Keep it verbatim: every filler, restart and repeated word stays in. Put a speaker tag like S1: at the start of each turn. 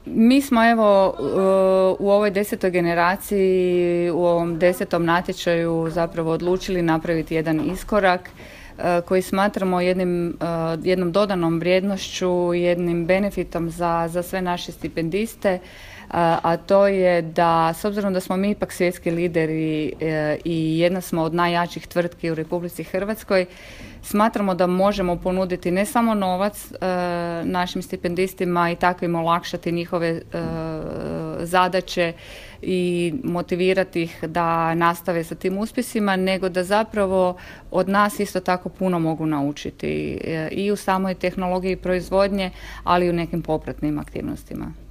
S1: Mi smo evo u ovoj desetoj generaciji, u ovom desetom natječaju zapravo odlučili napraviti jedan iskorak koji smatramo jednim, jednom dodanom vrijednošću, jednim benefitom za, za sve naše stipendiste, a to je da, s obzirom da smo mi ipak svjetski lideri i jedna smo od najjačih tvrtki u Republici Hrvatskoj, smatramo da možemo ponuditi ne samo novac našim stipendistima i tako im olakšati njihove zadaće i motivirati ih da nastave sa tim uspjesima, nego da zapravo od nas isto tako puno mogu naučiti i u samoj tehnologiji proizvodnje, ali i u nekim popratnim aktivnostima.